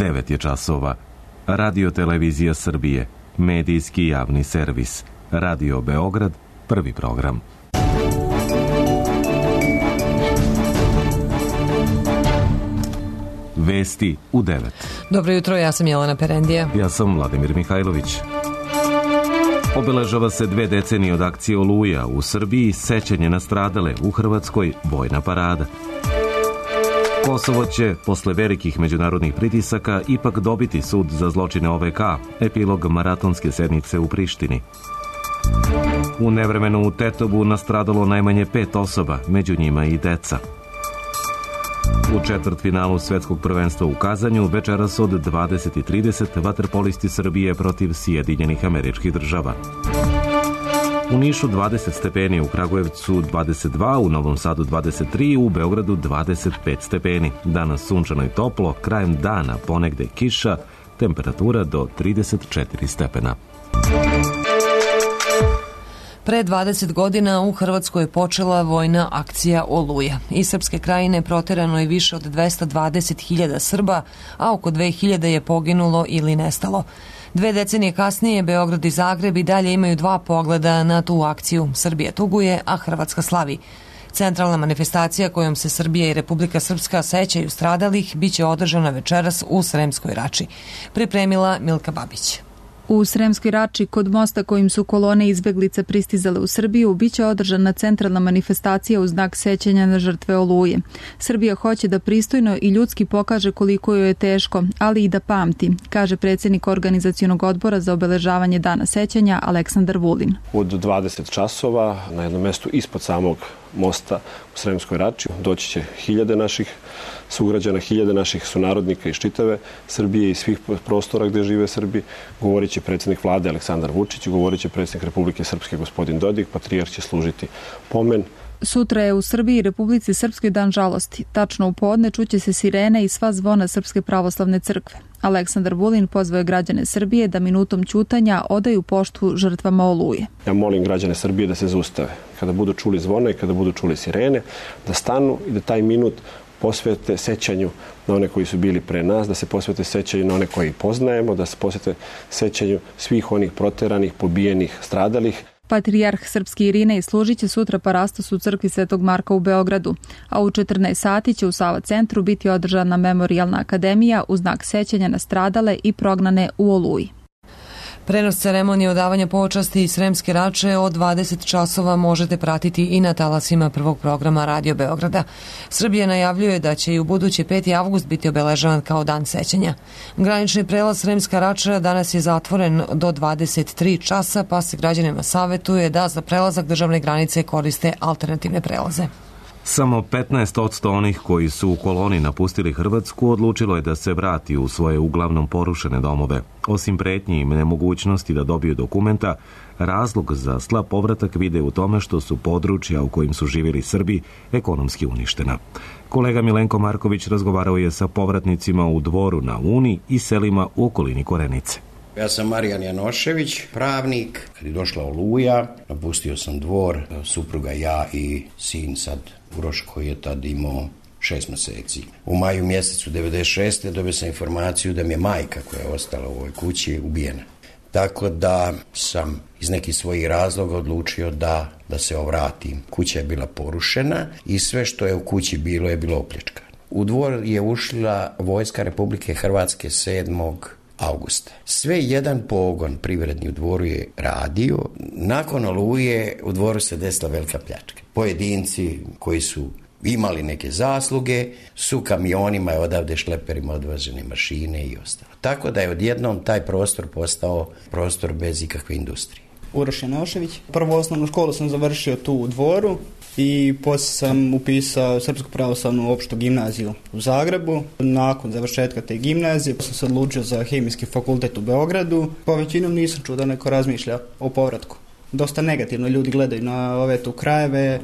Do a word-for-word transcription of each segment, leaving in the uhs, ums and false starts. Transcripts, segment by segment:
devet je časova. Radio Televizija Srbije, medijski javni servis. Radio Beograd, prvi program. Vesti u devet. Dobro jutro, ja sam Jelena Perendija. Ja sam Vladimir Mihajlović. Obeležava se dve decenije od akcije Oluja u Srbiji, sećanje na stradale, u Hrvatskoj vojna parada. Kosovo će, posle velikih međunarodnih pritisaka, ipak dobiti sud za zločine O V K, epilog maratonske sednice u Prištini. U nevremenu u Tetovu nastradalo najmanje pet osoba, među njima i deca. U četvrtfinalu svetskog prvenstva u Kazanju večeras od dvadeset i trideset vaterpolisti Srbije protiv Sjedinjenih Američkih Država. U Nišu dvadeset stepeni, u Kragujevcu dvadeset dva, u Novom Sadu dvadeset tri, u Beogradu dvadeset pet stepeni. Danas sunčano i toplo, krajem dana ponegde kiša, temperatura do trideset četiri stepena. Pre dvadeset godina u Hrvatskoj je počela vojna akcija Oluja. Iz Srpske krajine proterano je više od dvesta dvadeset hiljada Srba, a oko dve hiljade je poginulo ili nestalo. Dve decenije kasnije Beograd i Zagreb i dalje imaju dva pogleda na tu akciju. Srbija tuguje, a Hrvatska slavi. Centralna manifestacija kojom se Srbija i Republika Srpska sećaju stradalih biće održana večeras u Sremskoj Rači. Pripremila Milka Babić. U Sremskoj Rači, kod mosta kojim su kolone izbeglica pristizale u Srbiju, biće održana centralna manifestacija u znak sećanja na žrtve Oluje. Srbija hoće da pristojno i ljudski pokaže koliko joj je teško, ali i da pamti, kaže predsjednik organizacionog odbora za obeležavanje dana sećanja Aleksandar Vulin. Od dvadeset časova na jednom mestu ispod samog mosta u Sremskoj Rači doći će hiljade naših sugrađana, hiljade naših sunarodnika iz čitave Srbije i svih prostora gde žive Srbi. Govorit će predsjednik vlade Aleksandar Vučić, govorit će predsjednik Republike Srpske gospodin Dodik, patrijarh će služiti pomen. Sutra je u Srbiji i Republici Srpskoj dan žalosti. Tačno u podne čuće se sirene i sva zvona Srpske pravoslavne crkve. Aleksandar Vulin pozvao je građane Srbije da minutom ćutanja odaju poštu žrtvama Oluje. Ja molim građane Srbije da se zaustave. Kada budu čuli zvona i kada budu čuli sirene, da stanu i da taj minut posvete sećanju na one koji su bili pre nas, da se posvete sećanju na one koji poznajemo, da se posvete sećanju svih onih proteranih, pobijenih, stradalih. Patrijarh Srpski Irinej služit će sutra parastos u crkvi Svetog Marka u Beogradu, a u četrnaest sati će u Sava centru biti održana memorijalna akademija u znak sećanja na stradale i prognane u Oluji. Prenos ceremonije odavanja počasti iz Sremske Rače od dvadeset časova možete pratiti i na talasima prvog programa Radio Beograda. Srbija najavljuje da će i u budući peti avgust biti obeležavan kao dan sećanja. Granični prelaz Sremska Rača danas je zatvoren do dvadeset tri časa, pa se građanima savjetuje da za prelazak državne granice koriste alternativne prelaze. Samo petnaest posto onih koji su u koloni napustili Hrvatsku odlučilo je da se vrati u svoje uglavnom porušene domove. Osim pretnji i nemogućnosti da dobiju dokumenta, razlog za slab povratak vide u tome što su područja u kojim su živjeli Srbi ekonomski uništena. Kolega Milenko Marković razgovarao je sa povratnicima u Dvoru na Uni i selima u okolini Korenice. Ja sam Marijan Janošević, pravnik. Kad je došla Oluja, napustio sam Dvor, supruga, ja i sin sad Uroš koji je tad imao šest mjeseci. U maju mjesecu devedeset šeste dobio sam informaciju da mi je majka koja je ostala u ovoj kući ubijena. Tako da sam iz nekih svojih razloga odlučio da, da se ovratim. Kuća je bila porušena i sve što je u kući bilo je bilo opljačkano. U Dvor je ušla vojska Republike Hrvatske sedmog augusta. Sve jedan pogon privredni u Dvoru je radio. Nakon Oluje u Dvoru se desila velika pljačka. Pojedinci koji su imali neke zasluge su kamionima i odavde šleperima odvažene mašine i ostalo. Tako da je odjednom taj prostor postao prostor bez ikakve industrije. Uroš Janošević. Prvu osnovnu školu sam završio tu u Dvoru i poslije sam upisao Srpsku pravoslavnu opštu gimnaziju u Zagrebu. Nakon završetka te gimnazije sam se odlučio za Hemijski fakultet u Beogradu. Po većinom nisam čuo da neko razmišlja o povratku. Dosta negativno ljudi gledaju na ove tu krajeve, e,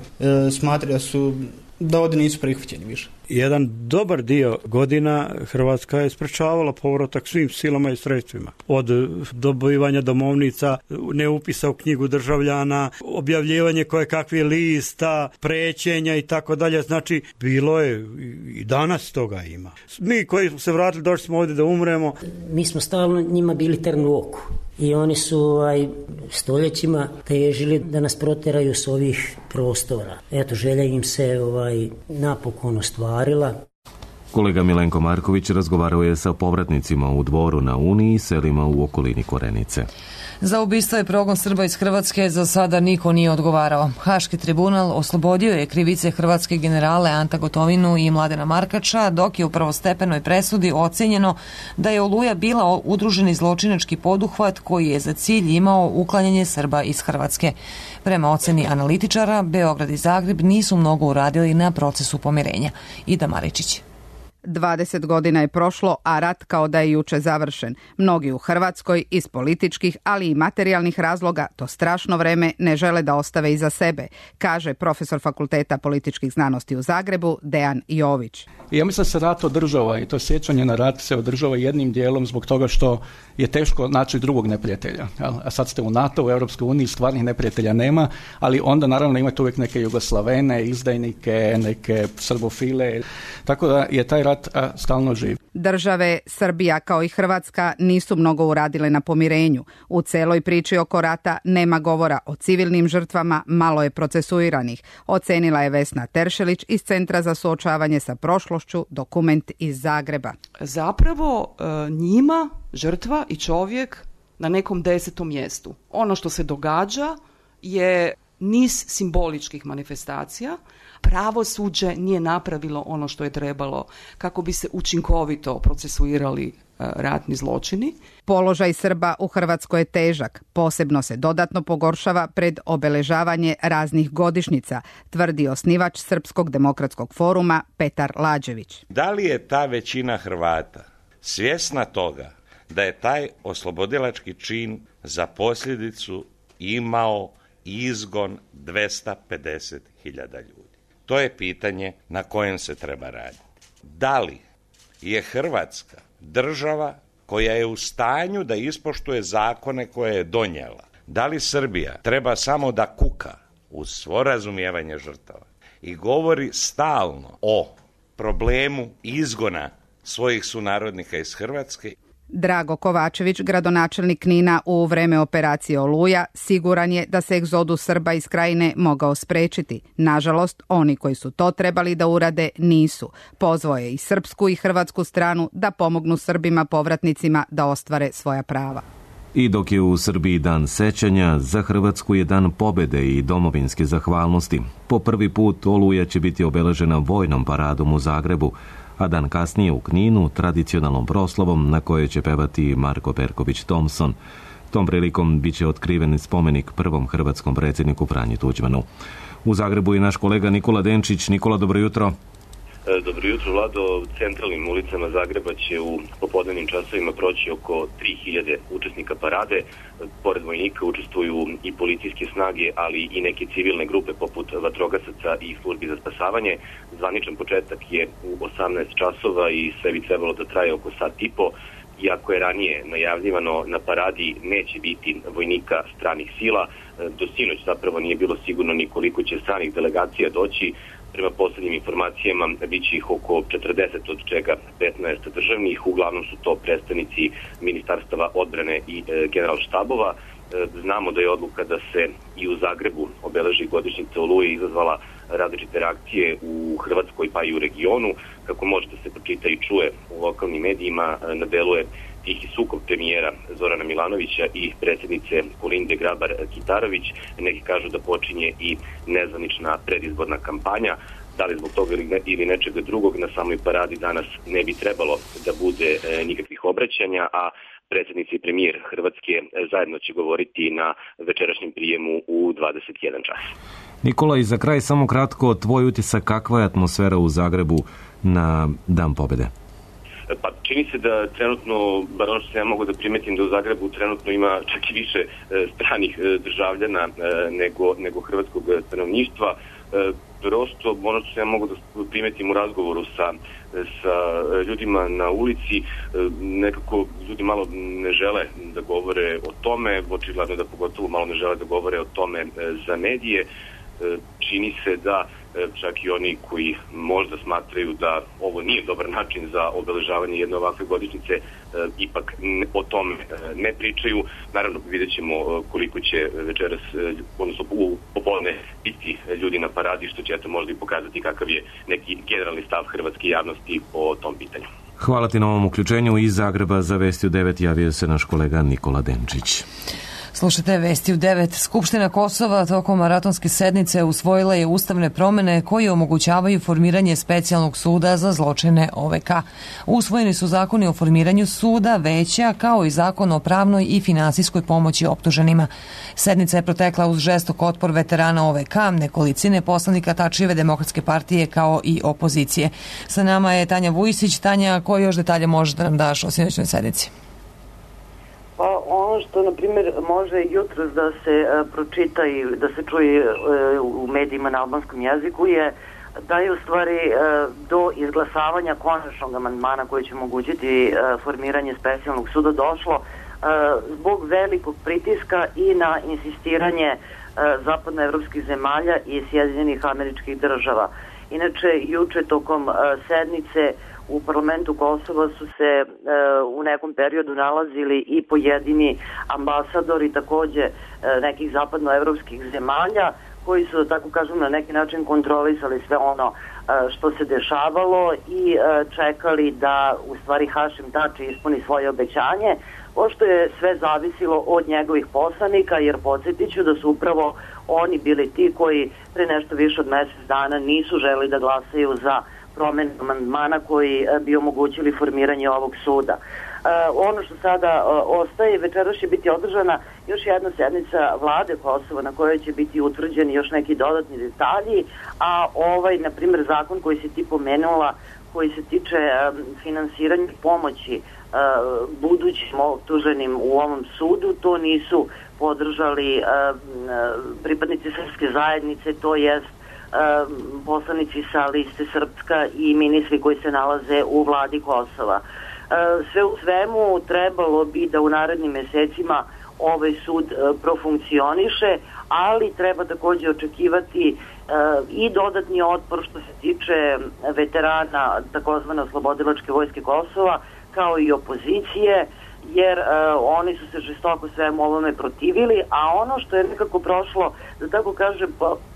smatraju da su da ovdje nisu prihvaćeni više. Jedan dobar dio godina Hrvatska je sprečavala povratak svim silama i sredstvima. Od dobivanja domovnica, neupisa u knjigu državljana, objavljivanje koje kakvih lista, prećenja i tako dalje. Znači, bilo je i danas toga ima. Mi koji smo se vratili, došli smo ovdje da umremo. Mi smo stalno njima bili trn u oku. I oni su aj, stoljećima težili da nas proteraju s ovih prostora. Eto, želja im se ovaj, napokon ostvarila. Kolega Milenko Marković razgovarao je sa povratnicima u Dvoru na Uni i selima u okolini Korenice. Za ubistvo i progon Srba iz Hrvatske za sada niko nije odgovarao. Haški tribunal oslobodio je krivice hrvatske generale Anta Gotovinu i Mladena Markača, dok je u prvostepenoj presudi ocenjeno da je Oluja bila udruženi zločinački poduhvat koji je za cilj imao uklanjanje Srba iz Hrvatske. Prema oceni analitičara, Beograd i Zagreb nisu mnogo uradili na procesu pomirenja. Ida Maričić. dvadeset godina je prošlo, a rat kao da je juče završen. Mnogi u Hrvatskoj iz političkih, ali i materijalnih razloga to strašno vreme ne žele da ostave iza sebe, kaže profesor Fakulteta političkih znanosti u Zagrebu Dejan Jović. Ja mislim da se rat održava i to sjećanje na rat se održava jednim dijelom zbog toga što je teško naći drugog neprijatelja. A sad ste u NATO, u Europskoj uniji, stvarnih neprijatelja nema, ali onda naravno imate uvijek neke Jugoslavene, izdajnike, neke srbofile, tako da je taj rat a, stalno živ. Države Srbija kao i Hrvatska nisu mnogo uradile na pomirenju. U celoj priči oko rata nema govora o civilnim žrtvama, malo je procesuiranih, ocenila je Vesna Teršelić iz Centra za suočavanje sa prošlošću, dokument iz Zagreba. Zapravo njima žrtva i čovjek na nekom desetom mjestu. Ono što se događa je niz simboličkih manifestacija. Pravosuđe nije napravilo ono što je trebalo kako bi se učinkovito procesuirali ratni zločini. Položaj Srba u Hrvatskoj je težak. Posebno se dodatno pogoršava pred obeležavanje raznih godišnjica, tvrdi osnivač Srpskog demokratskog foruma Petar Lađević. Da li je ta većina Hrvata svjesna toga da je taj oslobodilački čin za posljedicu imao izgon dvesta pedeset hiljada ljudi? To je pitanje na kojem se treba raditi. Da li je Hrvatska država koja je u stanju da ispoštuje zakone koje je donijela? Da li Srbija treba samo da kuka uz svo razumijevanje žrtava i govori stalno o problemu izgona svojih sunarodnika iz Hrvatske? Drago Kovačević, gradonačelnik Knina u vreme operacije Oluja, siguran je da se egzodus Srba iz Krajine mogao sprečiti. Nažalost, oni koji su to trebali da urade nisu. Pozvao je i srpsku i hrvatsku stranu da pomognu Srbima povratnicima da ostvare svoja prava. I dok je u Srbiji dan sećanja, za Hrvatsku je dan pobede i domovinske zahvalnosti. Po prvi put Oluja će biti obeležena vojnom paradom u Zagrebu, a dan kasnije u Kninu tradicionalnom proslavom na kojoj će pevati Marko Perković Thompson. Tom prilikom biće otkriven spomenik prvom hrvatskom predsjedniku Franji Tuđmanu. U Zagrebu je naš kolega Nikola Denčić. Nikola, dobro jutro. Dobro jutro, Vlado. Centralnim ulicama Zagreba će u popodnevnim časovima proći oko tri hiljade učesnika parade. Pored vojnika učestvuju i policijske snage, ali i neke civilne grupe poput vatrogasaca i službi za spasavanje. Zvaničan početak je u osamnaest časova i sve bi trebalo da traje oko sat i po. Iako je ranije najavljivano na paradi neće biti vojnika stranih sila, do sinoć zapravo nije bilo sigurno ni koliko će stranih delegacija doći. Prema poslednjim informacijama bit će ih oko četrdeset, od čega petnaest državnih. Uglavnom su to predstavnici ministarstava odbrane i e, generalštabova. E, znamo da je odluka da se i u Zagrebu obeleži godišnjica Oluje izazvala različite reakcije u Hrvatskoj pa i u regionu. Kako možete se pročita i čuje u lokalnim medijima, na delu je tihi sukob premijera Zorana Milanovića i predsjednice Kolinde Grabar-Kitarović. Neki kažu da počinje i nezvanična predizborna kampanja. Da li zbog toga ili, ne, ili nečega drugog, na samoj paradi danas ne bi trebalo da bude e, nikakvih obraćanja, a predsjednici i premijer Hrvatske zajedno će govoriti na večerašnjem prijemu u dvadeset jedan čas. Nikola, i za kraj samo kratko, tvoj utisak, kakva je atmosfera u Zagrebu na Dan pobjede? Pa čini se da trenutno, bar ono što se ja mogu da primetim, da u Zagrebu trenutno ima čak i više e, stranih e, državljana e, nego, nego hrvatskog stanovništva. E, prosto ono što ja mogu da primetim u razgovoru sa, sa ljudima na ulici, nekako ljudi malo ne žele da govore o tome, očigledno da pogotovo malo ne žele da govore o tome za medije. Čini se da čak i oni koji možda smatraju da ovo nije dobar način za obeležavanje jedne ovakve godišnjice, ipak o tome ne pričaju. Naravno, vidjet ćemo koliko će večeras, odnosno u popodne, biti ljudi na paradi, što će eto možda i pokazati kakav je neki generalni stav hrvatske javnosti po tom pitanju. Hvala ti na ovom uključenju. Iz Zagreba za Vesti u devet javio se naš kolega Nikola Denčić. Slušajte Vesti u devet. Skupština Kosova tokom maratonske sednice usvojila je ustavne promene koje omogućavaju formiranje specijalnog suda za zločine O V K. Usvojeni su zakoni o formiranju suda, veća, kao i zakon o pravnoj i finansijskoj pomoći optuženima. Sednica je protekla uz žestok otpor veterana O V K, nekolicine poslanika Tačijeve demokratske partije kao i opozicije. Sa nama je Tanja Vujisić. Tanja, koje još detalje možeš da nam daš o sinoćnoj sednici? Pa ono što, na primjer, može jutros da se uh, pročita i da se čuje uh, u medijima na albanskom jeziku je da je u stvari uh, do izglasavanja konačnog amandmana koji će omogućiti uh, formiranje specijalnog suda došlo uh, zbog velikog pritiska i na insistiranje uh, zapadnoevropskih zemalja i Sjedinjenih Američkih Država. Inače, juče tokom uh, sednice u parlamentu Kosova su se e, u nekom periodu nalazili i pojedini ambasadori takođe e, nekih zapadnoevropskih zemalja koji su, tako kažem, na neki način kontrolisali sve ono e, što se dešavalo i e, čekali da u stvari Hašim Tači ispuni svoje obećanje, pošto je sve zavisilo od njegovih poslanika, jer podsjetit ću da su upravo oni bili ti koji pre nešto više od mesec dana nisu želi da glasaju za promenu amandmana koji bi omogućili formiranje ovog suda. E, ono što sada o, ostaje, večeras će biti održana još jedna sednica vlade Kosova na kojoj će biti utvrđeni još neki dodatni detalji, a ovaj, na primjer, zakon koji si ti pomenula, koji se tiče e, finansiranja pomoći e, budućim optuženim u ovom sudu, to nisu podržali e, pripadnici srpske zajednice, to jest poslanici sa liste Srpska i ministri koji se nalaze u vladi Kosova. Sve u svemu trebalo bi da u narednim mesecima ovaj sud profunkcioniše, ali treba takođe očekivati i dodatni otpor što se tiče veterana takozvane Oslobodilačke vojske Kosova, kao i opozicije, jer uh, oni su se žestoko svemu ovome protivili, a ono što je nekako prošlo, da tako kažem,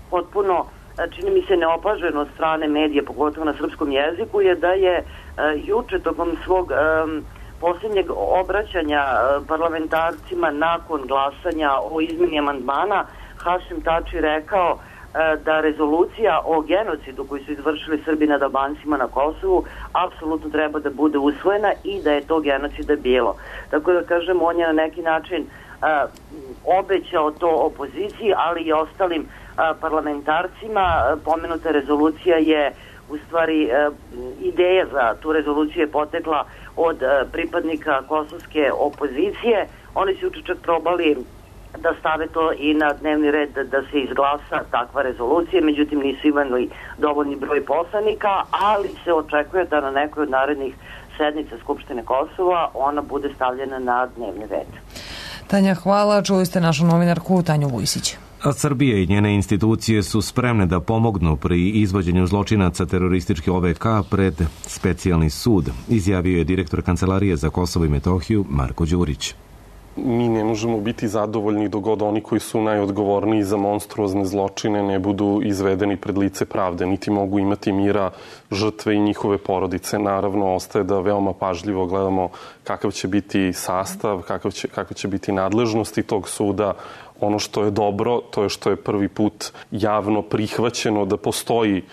potpuno čini mi se neopaženo od strane medija, pogotovo na srpskom jeziku, je da je uh, juče tokom svog um, posljednjeg obraćanja uh, parlamentarcima nakon glasanja o izmeni amandmana Hašim Tači rekao uh, da rezolucija o genocidu koji su izvršili Srbi nad Albancima na Kosovu apsolutno treba da bude usvojena i da je to genocida bilo. Tako da kažem, on je na neki način uh, obećao to opoziciji, ali i ostalim parlamentarcima. Pomenuta rezolucija je u stvari ideja za tu rezoluciju je potekla od pripadnika kosovske opozicije. Oni su čak probali da stave to i na dnevni red da se izglasa takva rezolucija, međutim nisu imali dovoljni broj poslanika, ali se očekuje da na nekoj od narednih sednica Skupštine Kosova ona bude stavljena na dnevni red. Tanja, hvala. Čuli ste našu novinarku Tanju Vujsić. A Srbija i njene institucije su spremne da pomognu pri izvođenju zločinaca terorističke O V K pred specijalni sud, izjavio je direktor Kancelarije za Kosovo i Metohiju Marko Đurić. Mi ne možemo biti zadovoljni dok god oni koji su najodgovorniji za monstruozne zločine ne budu izvedeni pred lice pravde, niti mogu imati mira žrtve i njihove porodice. Naravno, ostaje da veoma pažljivo gledamo kakav će biti sastav, kakav će, kakav će biti nadležnosti tog suda. Ono što je dobro, to je što je prvi put javno prihvaćeno da postoji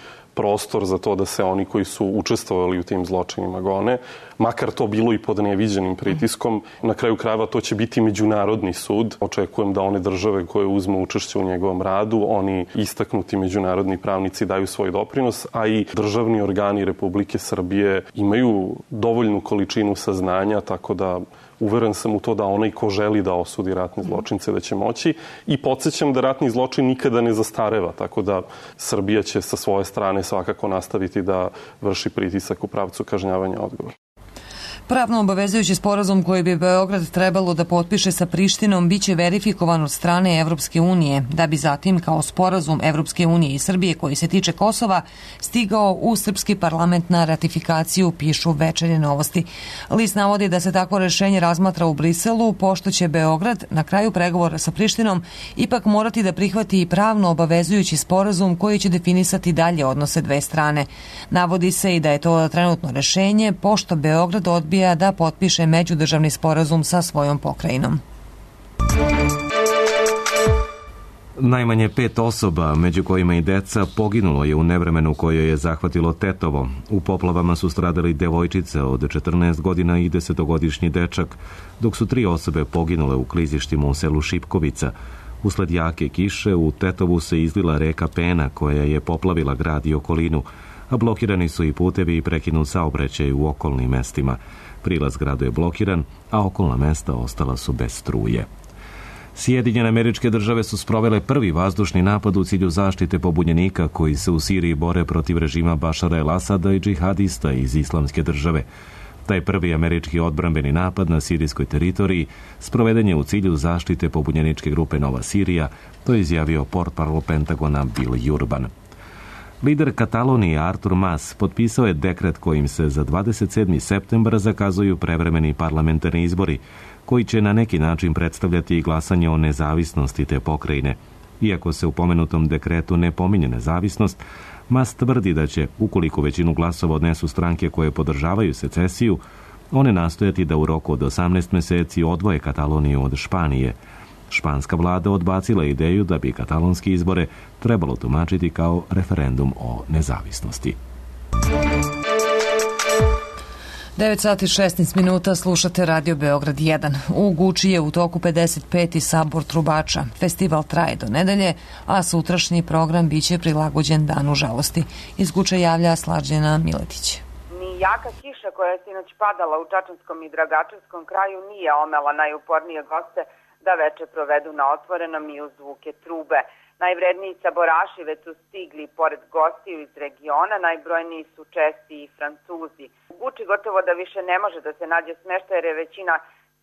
prostor za to da se oni koji su učestvovali u tim zločinima gone, makar to bilo i pod neviđenim pritiskom. Na kraju krajeva to će biti međunarodni sud. Očekujem da one države koje uzmu učešće u njegovom radu, oni istaknuti međunarodni pravnici daju svoj doprinos, a i državni organi Republike Srbije imaju dovoljnu količinu saznanja, tako da uveren sam u to da onaj ko želi da osudi ratne zločince da će moći i podsjećam da ratni zločin nikada ne zastareva, tako da Srbija će sa svoje strane svakako nastaviti da vrši pritisak u pravcu kažnjavanja odgovora. Pravno obavezujući sporazum koji bi Beograd trebalo da potpiše sa Prištinom biće verifikovan od strane Evropske unije, da bi zatim kao sporazum Evropske unije i Srbije koji se tiče Kosova stigao u srpski parlament na ratifikaciju, pišu Večernje novosti. List navodi da se takvo rešenje razmatra u Briselu, pošto će Beograd na kraju pregovora sa Prištinom ipak morati da prihvati i pravno obavezujući sporazum koji će definisati dalje odnose dve strane. Navodi se i da je to trenutno rešenje, pošto Beograd odbija da potpiše međudržavni sporazum sa svojom pokrajinom. Najmanje pet osoba, među kojima i deca, poginulo je u nevremenu koje je zahvatilo Tetovo. U poplavama su stradali devojčice od četrnaest godina i desetogodišnji dečak, dok su tri osobe poginule u klizištima u selu Šipkovica. Usled jake kiše u Tetovu se izlila reka Pena koja je poplavila grad i okolinu, a blokirani su i putevi i prekinut saobraćaj u okolnim mestima. Prilaz gradu je blokiran, a okolna mesta ostala su bez struje. Sjedinjene Američke Države su sprovele prvi vazdušni napad u cilju zaštite pobunjenika koji se u Siriji bore protiv režima Bašara el-Asada i džihadista iz Islamske države. Taj prvi američki odbrambeni napad na sirijskoj teritoriji sproveden je u cilju zaštite pobunjeničke grupe Nova Sirija, to je izjavio portparol Pentagona Bill Urban. Lider Katalonije Artur Mas potpisao je dekret kojim se za dvadeset sedmi septembar zakazuju prevremeni parlamentarni izbori, koji će na neki način predstavljati i glasanje o nezavisnosti te pokrajine. Iako se u pomenutom dekretu ne pominje nezavisnost, Mas tvrdi da će, ukoliko većinu glasova odnesu stranke koje podržavaju secesiju, one nastojati da u roku od osamnaest meseci odvoje Kataloniju od Španije. Španska vlada odbacila ideju da bi katalonske izbore trebalo tumačiti kao referendum o nezavisnosti. devet sati šesnaest minuta, slušate Radio Beograd jedan. U Guči je u toku pedeset peti sabor trubača. Festival traje do nedelje, a sutrašnji program biće prilagođen Danu žalosti. Iz Guče javlja Slađena Miletić. Ni jaka kiša koja je sinoć padala u Čačanskom i Dragačevskom kraju nije omela najupornije goste da veče provedu na otvorenom i uz zvuke trube. Najvredniji saboraši već su stigli pored gostiju iz regiona, najbrojniji su Česi i Francuzi. U Guči gotovo da više ne može da se nađe smeštaj jer je većina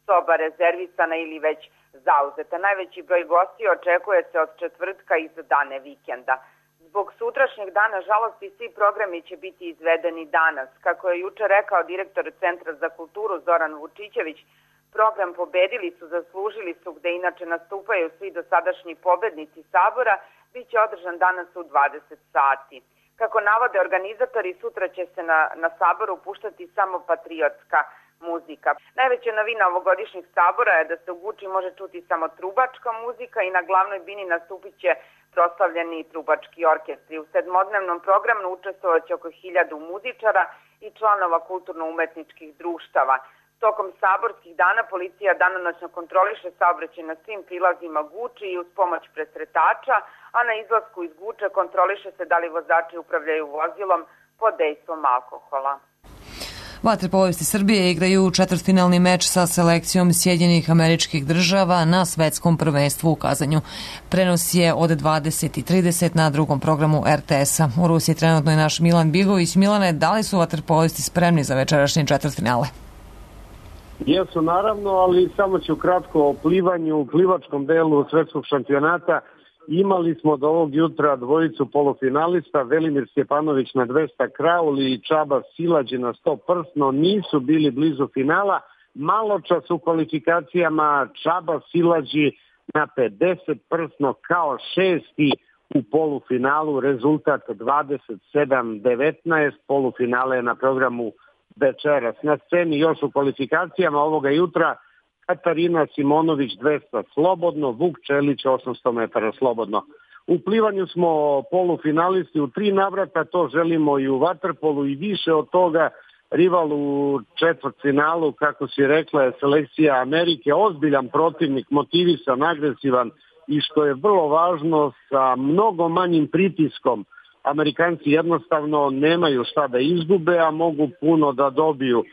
soba rezervisana ili već zauzeta. Najveći broj gostiju očekuje se od četvrtka i za dane vikenda. Zbog sutrašnjeg dana žalosti svi programi će biti izvedeni danas. Kako je juče rekao direktor Centra za kulturu Zoran Vučićević, program Pobedili su, zaslužili su, gde inače nastupaju svi dosadašnji pobednici sabora, bit će održan danas u dvadeset sati. Kako navode organizatori, sutra će se na, na saboru puštati samo patriotska muzika. Najveća novina ovogodišnjeg sabora je da se u Guči može čuti samo trubačka muzika i na glavnoj bini nastupit će proslavljeni trubački orkestri. U sedmodnevnom programu učestvovaće oko hiljadu muzičara i članova kulturno-umetničkih društava. Tokom saborskih dana policija danonoćno kontroliše saobraćaj na svim prilazima Guči i uz pomoć presretača, a na izlasku iz Guče kontroliše se da li vozači upravljaju vozilom pod dejstvom alkohola. Vaterpolisti Srbije igraju četvrtfinalni meč sa selekcijom Sjedinjenih Američkih Država na svetskom prvenstvu u Kazanju. Prenos je od dvadeset i trideset na drugom programu er te esa. U Rusiji trenutno je naš Milan Bigović. Milane, da li su vaterpolisti spremni za večerašnji četvrtfinale? Jesu, naravno, ali samo ću kratko o plivanju u plivačkom delu svetskog šampionata. Imali smo do ovog jutra dvojicu polufinalista, Velimir Stjepanović na dvesta krauli i Čaba Silađi na sto prsno, nisu bili blizu finala. Malo čas u kvalifikacijama Čaba Silađi na pedeset prsno kao šesti u polufinalu, rezultat dvadeset sedam devetnaest, polufinale je na programu večeras. Na sceni još u kvalifikacijama ovoga jutra Katarina Simonović dvesta slobodno, Vuk Čelić osamsto metara slobodno. U plivanju smo polufinalisti u tri navrata, to želimo i u vaterpolu i više od toga. Rival u četvrtfinalu, kako si rekla, je selekcija Amerike, ozbiljan protivnik, motivisan, agresivan i što je vrlo važno, sa mnogo manjim pritiskom. Amerikanci jednostavno nemaju šta da izgube, a mogu puno da dobiju.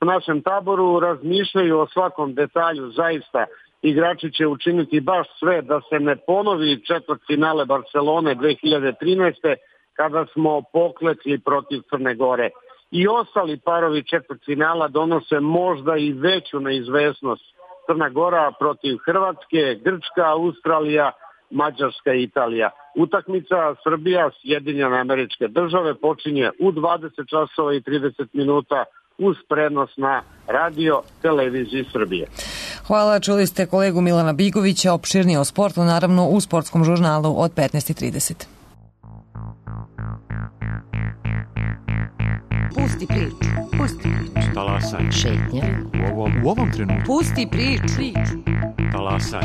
U našem taboru razmišljaju o svakom detalju, zaista. Igrači će učiniti baš sve da se ne ponovi četvrtfinale Barcelone dve hiljade trinaeste. kada smo poklekli protiv Crne Gore. I ostali parovi četvrtfinala donose možda i veću neizvesnost. Crna Gora protiv Hrvatske, Grčka, Australija, Mađarska i Italija. Utakmica Srbija, Sjedinjene Američke Države počinje u dvadeset časova i trideset minuta uz prenos na radio televiziji Srbije. Hvala, čuli ste kolegu Milana Bigovića, opširnije o sportu, naravno u sportskom žurnalu od petnaest i trideset. Pusti priču, pusti priču. Talasaj. Šetnja. U ovom, u ovom trenutku. Pusti priču. priču. Talasaj.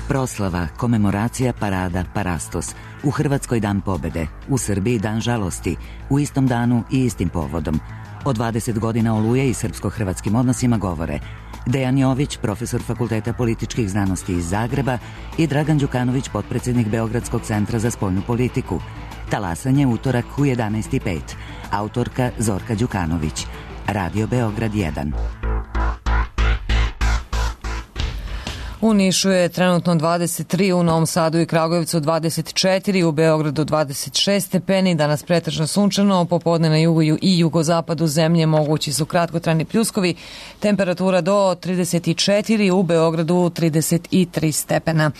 Proslava, komemoracija, parada, parastos. U Hrvatskoj dan pobede, u Srbiji dan žalosti, u istom danu i istim povodom. O dvadeset godina Oluje i srpsko-hrvatskim odnosima govore Dejan Jović, profesor Fakulteta političkih znanosti iz Zagreba, i Dragan Đukanović, potpredsjednik Beogradskog centra za spoljnu politiku. Talasanje utorak u jedanaest i pet. Autorka Zorka Đukanović. Radio Beograd jedan. U Nišu je trenutno dvadeset tri, u Novom Sadu i Kragujevcu dvadeset četiri, u Beogradu dvadeset šest stepeni, danas pretežno sunčano, popodne na jugu i jugozapadu zemlje mogući su kratkotrajni pljuskovi, temperatura do trideset četiri, u Beogradu trideset tri stepena.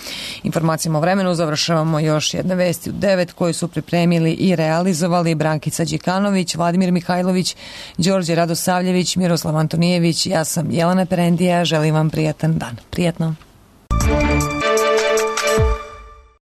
Informacijama o vremenu završavamo još jedne vesti u devet koje su pripremili i realizovali Brankica Đikanović, Vladimir Mihajlović, Đorđe Radosavljević, Miroslav Antonijević, ja sam Jelena Perendija, želim vam prijatan dan. Prijetno.